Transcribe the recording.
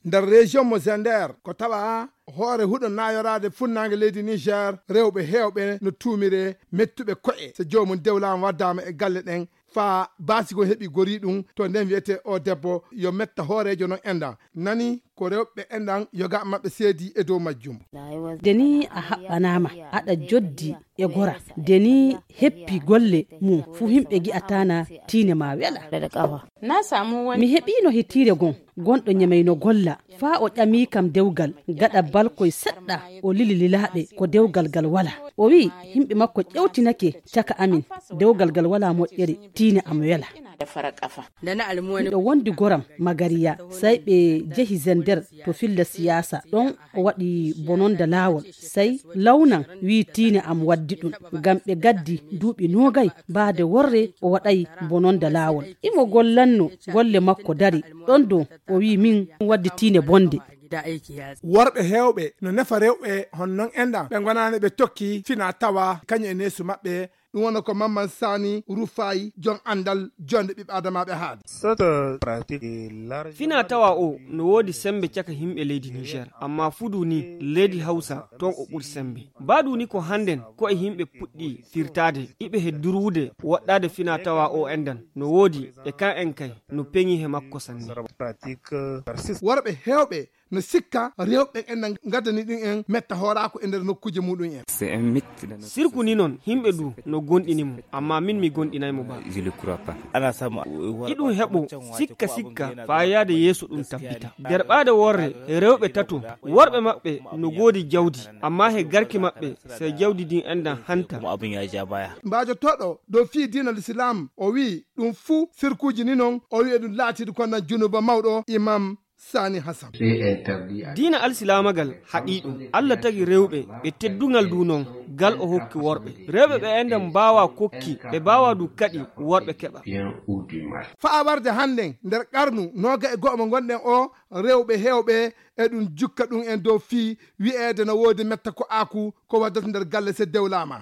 nder région mo Zender ko tawa hoore huɗo nayorade funnaange leydi Niger rewɓe heewɓe no tuumire mettuɓe ko'e so joomum dewlama waddama e galle ɗen fa baasigo heɓi gori ɗum to nden wiyete o debbo yo metta hoorejo non endan nani ko rewɓe endan yoga maɓɓe seedi e dow majjum. Deni a haɓɓanama aɗa joddi e gora deni heppi golle mum fu himɓe gi'atana tiine ma wela. Mi heɓino hitire gonɗo nyamayno golla fa o ƴami kam dewgal gaɗa balkoye seɗɗa o lili lilaɓe ko dewgal gal wala. O wi himɓe makko ƴewtinake caka amin dewgal gal wala moƴƴere tiine am wela. Ɗo wondi goram Magariya sai ɓe jehi Zender to filla siyasa ɗon o waɗi bononda lawol sai lawnan wi tiine am waddi ɗum ngam ɓe gaddi duuɓi nogay baade worre o waɗay bononda lawol. Imo gollanno golle makko dari ɗon dow o wi min waddi tiine bonde. Worɓe heewɓe no nefa rewɓe honnon endan ɓe gonani ɓe tokki fina tawa kañum e neesu maɓɓe. Ɗum wona ko Mamman Sani Rufai jon andal jonde ɓiɓɓe adamaɓe haade. Fina tawa o no woodi sembe caka himɓe leydi Niger amma fudu ni leydi Hausa ton o ɓuri sembe. Baɗu ni ko handen ko e himɓe puɗɗi firtade iɓe heddurude waɗɗade fina tawa o endan no woodi e kan en kay no peŋi he makko sanne. Worɓe heewɓe no sikka rewɓe en gaddani ɗum en metta hoorako e nder nokkuje muɗum en. Sirku ni non himɓe du no gonɗinimo amma min mi gonɗinaymo ba. Iɗum heɓo sikka fa yaade yeeso ɗum tabbita. Nder ɓaade worre e rewɓe tato worɓe maɓɓe no goodi jawdi amma he garki maɓɓe sey jawdi din endan hanta. Mbajotoɗo dow fii diinal Islam o wi ɗum fuu sirkuji ni non o wi ɗum laatidi kono junuba mawɗo Imam Sani Hassan. Diina alsilamagal haɗi ɗum Allah tagi rewɓe ɓe teddungal du non gal o hokki worɓe rewɓe ɓe endan mbawa kokki ɓe mbawa du kaɗi worɓe keɓa. Faa warde hannden nder qarnu noga e go'o mo gonɗen o rewɓe heewɓe e ɗum jukka ɗum en dow fii wi'eede no woodi metta ko aaku ko waddata nder galle se dewlama.